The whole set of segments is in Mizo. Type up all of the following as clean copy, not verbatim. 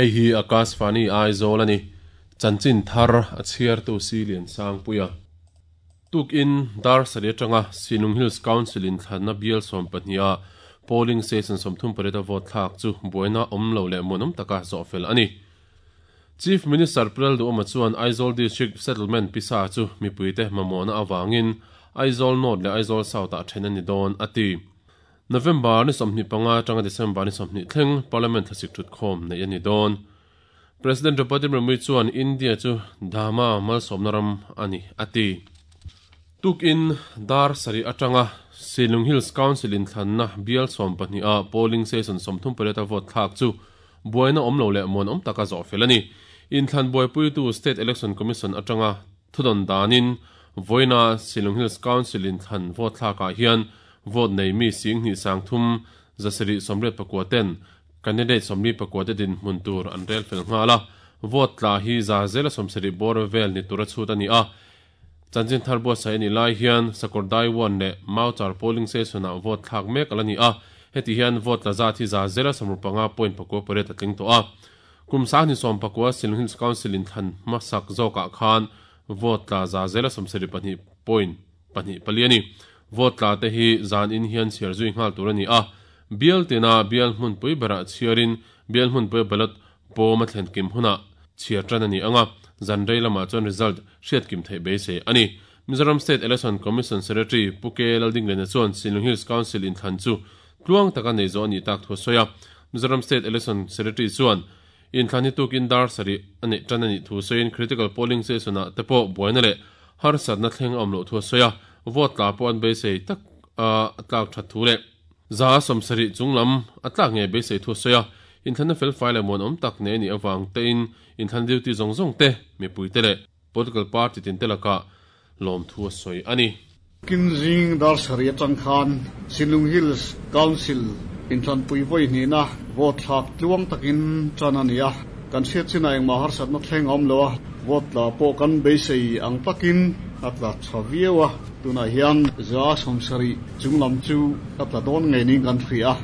Hei hi Akashvani Aizawl a ni. Chanchin thar a chhiartu Silian Sangpuia. Tukin dar sarih atanga Sinlung Hills Council in thlanna bial 12 ah polling station 38 a vote thlak chu buaina awm lo leh muanawm taka zawhfel a ni. Chief Minister Pu Lalduhawma chuan Aizawl District Settlement pisa chu mipuite mamawhna avangin Aizawl North leh Aizawl South ah then a ni dawn a ti. November ni 25 atanga December ni 20 thleng Parliament thlasik thutkhawm neih a ni dawn. President Draupadi Murmu chuan India chu Dhamma malsawmna ram a ni a ti. Tukin dar sarih atanga Sinlung Hills Council inthlanna bial 12 ah polling station 38 a vote thlak chu buaina awm lo leh muanawm taka zawhfel a ni. Inthlan buaipuitu State Election Commission atanga thudawn danin vawiina Sinlung Hills Council inthlan vote thlakah hian vote nei mi sing hnih sang thum zasarih sawmriat pakua ten Candidate 44 te dinhmun tur an rel fel nghal a, vote tla hi za zela 70 bawr vel ni tura chhut a ni a. Chanchin thar buatsaih a nih lai hian Sakawrdai 1 leh Mauchar polling station ah vote thlak mek ala ni a, heti hian vote tla zat hi za zela 65 point pakua pariat a tling tawh a. Kum sahni 14 Shillong Hills Council in thlan hmasak zawkah khan vote tla za zela 72 point pahnih pali a ni. Vote tla te hi zan in hian chhiar zui nghal tur a ni a, bial tina bial hmunpui berah chhiarin bial hmunpui ballot pawm a thlen kim hunah chhiar tan a ni ang a, zan rei lamah chuan result hriat kim theih beisei a ni. Mizoram State Election Commission Secretary Pu K Laldinglena chuan Sinlung Hills Council inthlan chu tluang taka nei zawh a nih tak thu a sawi a. Mizoram State Election Secretary chuan inthlan hi tukin dar sarih a neih tan a nih thu sawiin critical polling station ah te pawh buaina leh harsatna thleng a awm loh thu a sawi a, vote tla pawh an beisei tak a tlak that thu leh za 70 chunglam a tlak ngei beisei thu a sawi a, inthlanna felfai leh muanawm tak nei a nih avang tein inthlan duty zawng zawng te, mipui te leh political party tin te lakah lawm thu a sawi a ni. Kinzing dar sarih atang khan Sinlung Hills Council inthlanpui vawi hnihna vote thlak tluang takin tan a ni a, kan hriat chinah engmah harsatna thleng a awm lo a, vote tla pawh kan beisei ang takin a tla tha viau a, tunah hian za 70 chunglam chu a tla dawn ngei niin kan hria a,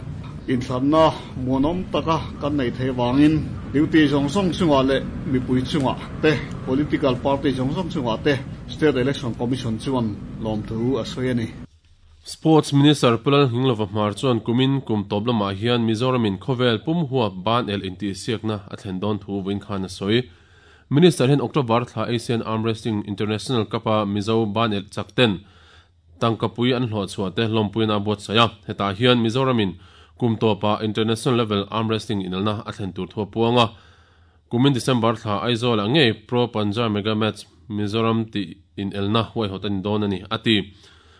inthlanna muanawm taka kan neih theih avangin duty zawng zawng chungah leh mipui chungah te, political party zawng zawng chungah te State Election Commission chuan lawmthu a sawi a ni. Sports Minister Pu Lalnghinglova Hmar chuan kumin kum tawp lamah hian Mizoramin khawvel pum huap ban el intihsiakna a thlen dawn thu vawiin khan a sawi. Minister hian October thla Asian Arm Wrestling International Cup-a Mizo ban el chak ten tangkapui an hlawh chhuah te lawmpuiin a buatsaih a. Hetah hian Mizoramin kum tawpah International Level Arm Wrestling inelna a thlen tur thu a puang a. Kumin December thla Aizawl-ah ngei Pro Panja Mega Match Mizoram tih inelna huaihawt a ni dawn a ni, a ti.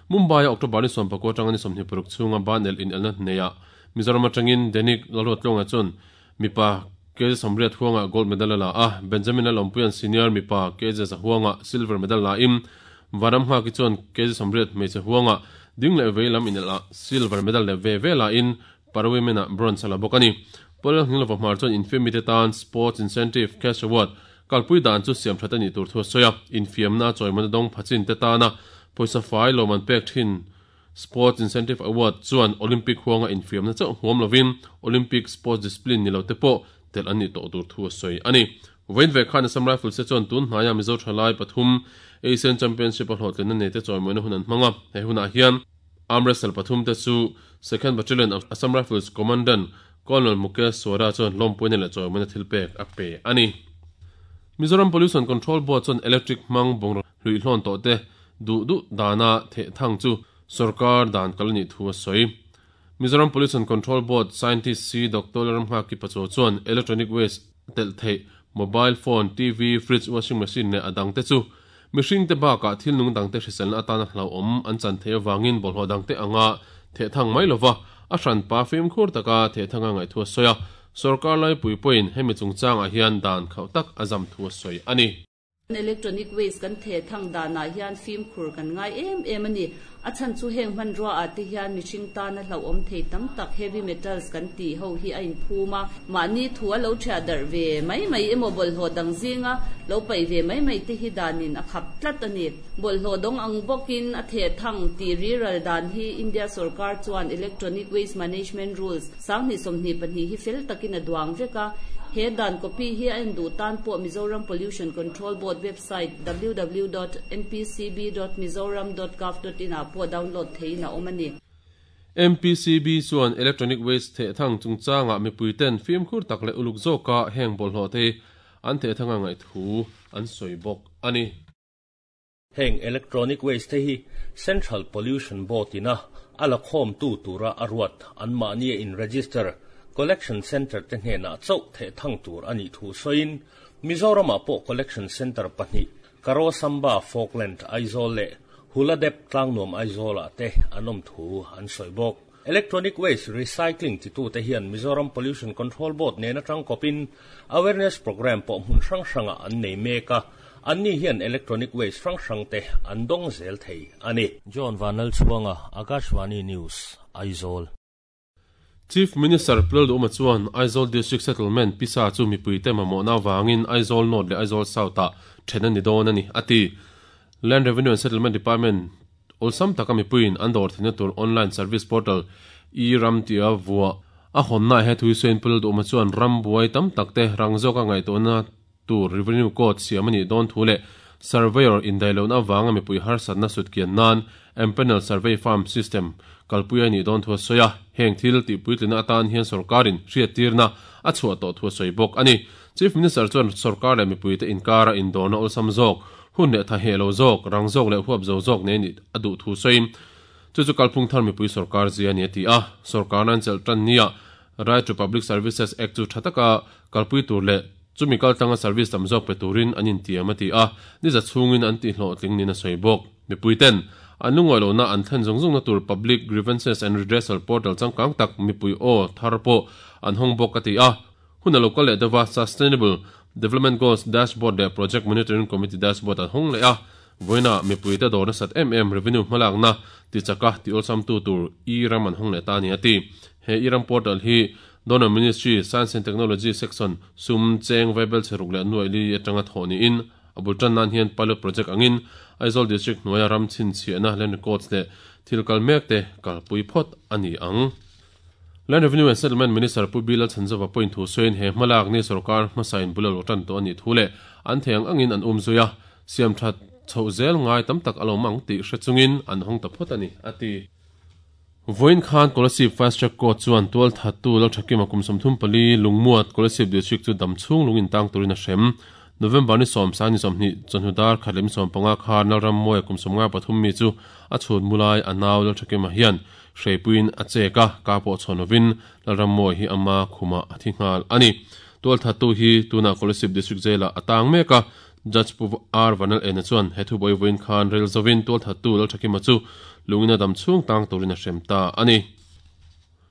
Mumbai-a October ni 19 atanga ni 26 chhunga ban el inelna hneihah Mizoram atangin Denik Lalruatluanga chuan mipa kg 80 huangah gold medal a la a, Benjamin Lalawmpuia'n senior mipa kg 100 huangah silver medal lain Vanram Nghaki chuan kg 80 hmeichhe huangah ding leh vei lam inelh ah silver medal leh ve ve lain Para Women ah bronze a la bawk a ni. Paul Lalnghinglova Hmar chuan infiamite tan Sports Incentive Cash Award kalpui dan chu siam that a nih tur thu a sawi a, infiamna chawimawna dawng phachin te tana pawisa fai lawm an pek thin Sports Incentive Award chuan Olympic huanga infiamna chauh huam lovin Olympic sports discipline ni lo te pawh telh an nih tawh tur thu a sawi a ni. Vawiin ve khan Assam Rifles te chuan tun hnaia Mizo thalai pathum Asian Championship a hlawhtlinna nei te chawimawina hun an hmang a, he hunah hian Arm wrestle pathum te chu Second Battalion of Assam Rifles Commandant Colonel Mukesh Swara chuan lawmpuina leh chawimawina thil pek a pe a ni. Mizoram Pollution Control Board chuan electric hmang bungraw hluihlawn tawh te duh duh dana theh thang chu sorkar dan kal a nih thu a sawi. Mizoram Pollution Control Board Scientist C Doctor Lalramnghaki Pachaw chuan electronic waste telh theih mobile phone, TV, fridge, washing machine leh a dangte chu mihringte bakah thil nung dangte hriselna atana hlauhawm an chan theih avangin bawlhhlawh dangte anga thehthang mai lova a hranpa fimkhur taka thehthanga ngaih thu a sawi a. Sorkar laipui pawhin hemi chungchangah hian dan khauh tak a zam thu a sawi a ni. Electronic waste kan thehthang danah hian fimkhur kan ngai em em a ni. A chhan chu heng hmanrua ah te hian mihring tana hlauhawm thei tam tak heavy metals kan tih ho hi a inphum a, mahni thu a lo thiah darh ve mai mai emaw bawlhhlawh dang zinga lo paih ve mai mai te hi danin a khap tlat a ni. Bawlhhlawh dawng ang bawkin a thehthang tih riral dan hi India sorkar chuan Electronic Waste Management Rules 2022 hi fel takin a duang vek a. He dan copy hi a en duh tan pawh Mizoram Pollution Control Board website www dot mpcb dot mizoram dot gov dot in ah pawh download theihin a awm a ni. MPCB chuan electronic waste thehthang chungchangah mipuiten fimkhur tak leh uluk zawka heng bawlhhlawh te an thehthang a ngaih thu an sawi bawk a ni. Heng electronic waste te hi Central Pollution Board ina a la khawmtu tura a ruat anmahnia in register collection centre te hnenah chauh theh thang tur a nih thu sawiin Mizoramah pawh collection centre pahnih Karosamba Falkland Aizawl leh Huladep Tlangnuam Aizawlah te an awm thu an sawi bawk. Electronic waste recycling titute hian Mizoram Pollution Control Board nen atang kawpin awareness programme pawh hmun hrang hrangah an nei mek a, anni hian electronic waste hrang hrangte an dawng zel thei a ni. John Vanlalchhuanga, Akashvani News, Aizawl. Chief Minister Pulal Duhma chuan Aizawl District Settlement pisa chu mipuite mamawhna avangin Aizawl North leh Aizawl South-ah then a ni dawn a ni, a ti. Land Revenue and Settlement Department Awlsam taka mipuiin an dawr theihna tur online service portal e-Ram tia vuah a hawnnaah he thu hi sawiin Pu Lalduhma chuan ram buai tam tak te rang zawka ngaihtuahna tur Revenue Code siam a nih dawn thu leh Surveyor indaihlohna avanga mipui harsatna sutkian nan Empanel Survey Farm System kalpui a nih dawn thu a sawi a, heng thil tihpuitlina atan hian sorkarin hriattirna a chhuah tawh thu a sawi bawk a ni. Chief Minister chuan sorkar leh mipuite inkara indawrna awlsam zawk, hun leh tha heh lo zawk, rang zawk leh huap zo zawk nei nih a duh thu sawiin, chu chu kalphung thar mipui sorkar zia a ni a ti a. Sorkarna an chelh tan nia Right to Public Services Act chu tha taka kalpui tur leh chumi kaltlanga service tam zawk pe turin an intiam a ti a, ni za chhungin an tihhlawhtling niin a sawi bawk. Mipuiten an lungawi lohna an thlen zung zungna tur Public Grievances and Redressal Portal changkang tak mipui aw thar pawh an hawng bawk a ti a. Hun a lo kal leh deuh a, Sustainable Development Goals Dashboard leh Project Monitoring Committee Dashboard an hawng leh a, vawiinah mipuite dawr nasat em em revenue hmalakna tichaka tih awlsamtu tur e-ram an hawng leh ta a ni a ti. He e-ram portal hi Donor Ministry, Science and Technology Section sum cheng vaibel chhe ruk leh nuaih li atanga thawh niin a bul tan nan hian pilot project angin Aizawl District hnuaia ram chhinchhiahna land records leh thil kal mekte kalpui phawt a ni ang. Land Revenue and Settlement Minister Pu Bilal Chhanzova pawhin thu sawiin he hmalak ni sorkar hmasain bul a lo tan tawh a nih thu leh an thei ang angin an um zui a, siam that chhoh zel ngai tam tak a lo mang tih hre chungin an hawng ta phawt a ni, a ti. Vawiin khan Kolasib Fast Track Court chuan tualthattu Lalthakima kum 34 Lungmuat Kolasib District chu damchhung lung intang turin a hrem. November ni sawmsa ni 20 chawhnu dar khat leh mi 15 khan Lalrammawia kum 53 mi chu a chhut mulai a nau Lalthakima hian Hreipuiin a chek a, ka pawh chhawn lovin Lalrammawi hi ama khumah a thi nghal a ni. Tualthattu hi tunah Kolasib District Jail-ah a tang mek a, Judge Pu R Vanal Ena chuan he thubuai vawiin khan rel zovin tualthattu Lalthakima chu lungin a dam chhung tang turin a hrem ta a ni.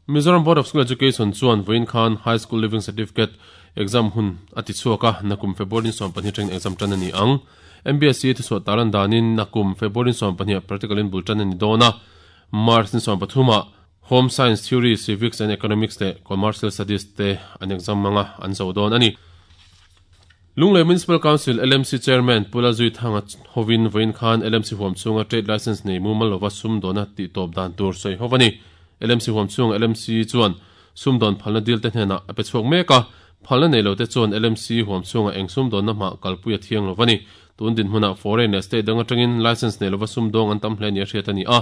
Mizoram Board of School Education chuan vawiin khan High School Leaving Certificate exam hun a ti chhuak a, nakum February ni 12 atangin exam tan a ni ang. MBSE thuchhuah tarlan danin nakum February ni 12 ah practical in bul tan a ni dawn a, March ni 13 ah Home Science Theory, Civics and Economics leh Commercial Studies te an exam hmang a, an zo dawn a ni. Lunglei Municipal Council, LMC, Chairman Pu Lalzuithanga hovin vawiin khan LMC huam chhunga trade licence nei mumal lova sumdawna tihtawp dan tur sawi ho a ni. LMC huam chhunga LMC chuan sumdawn phalna dil te hnenah a pe chhuak mek a, phalna nei lote chuan LMC huam chhunga eng sumdawnna hmah kalpui a thiang lo a ni. Tun dinhmunah foreign leh state dang atangin licence nei lova sumdawng an tam hle nia hriat a ni a,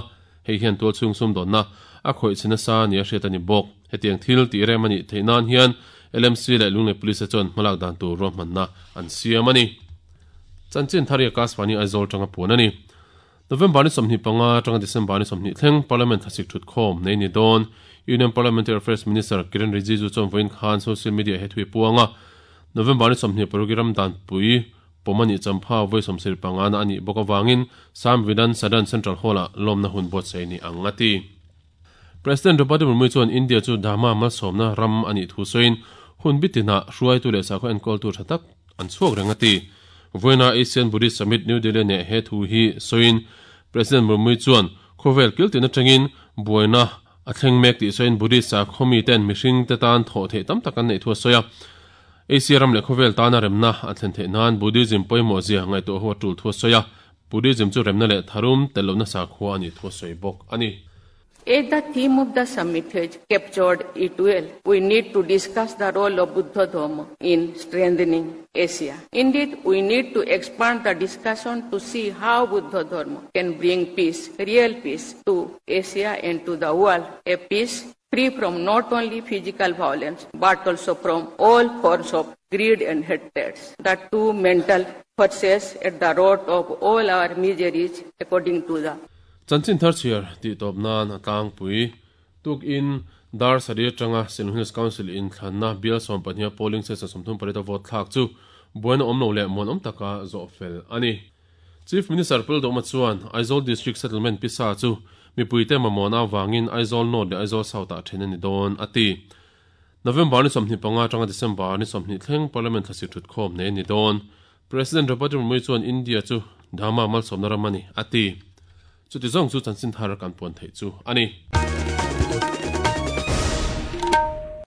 hei hian tualchhung sumdawnna a khawih chhe nasa nia hriat a ni bawk. Hetiang thil tih rem a nih theih nan hian LMC leh Lunglei Police te chuan hmalak dan tur ruahmanna an siam a ni. Chanchin thar hi Akashvani Aizawl tanga puan a ni. November ni 25 atanga December ni 20 thleng Parliament thlasik thutkhawm nei ni dawn. Union Parliamentary Affairs Minister Kiren Rijiju chuan vawiin khan social media he thui puang a, November ni 26 i ramdanpui pawm a nih champha vawi 75 na a nih bawk avangin Samvidhan Sadan Central Hall-ah lawmna hun buatsaih ni ang a ti. President Draupadi Murmu chuan India chu Dharma malsawmna ram a nih thu sawiin hun bitinah hruaitu leh sakhaw enkawltu tha tak an chhuak reng a ti. Vawiina Asian Buddhist Summit New Delhi neh he thu hi sawiin President Murmu chuan khawvel kiltin atangin buaina a thleng mek tih sawiin Buddhist sakhaw miten mihring te tan thawh theih tam tak an neih thu a sawi a. Asia ram leh khawvel tana remna a thlen theih nan Buddhism pawimawh zia ngaihtuah ho a tul thu a sawi a. Buddhism chu remna leh tharum tel lohna sakhua a nih thu a sawi bawk a ni. As the theme of the summit has captured it well, we need to discuss the role of Buddha Dharma in strengthening Asia. Indeed, we need to expand the discussion to see how Buddha Dharma can bring peace, real peace, to Asia and to the world, a peace free from not only physical violence but also from all forms of greed and hatred. The two mental forces at the root of all our miseries, according to the Chanchin thar chhiar tih tawp nan a tlangpui. Tukin dar sarih atanga Sinlung Hills Council inthlanna bial 12 a polling station 38 a vote thlak chu buaina awm lo leh muanawm taka zawh fel a ni. Chief Minister Pul Duhma chuan Aizawl District Settlement pisa chu mipuite mamawhna avangin Aizawl North leh Aizawl South ah then a ni dawn a ti. November ni 25 atanga December ni 20 thleng Parliament thlasik thutkhawm nei a ni dawn. President Draupadi Murmu chuan India chu Dhamma malsawmna ram a ni a ti. Chuti zawng chu chanchin thar kan puan theih chu a ni.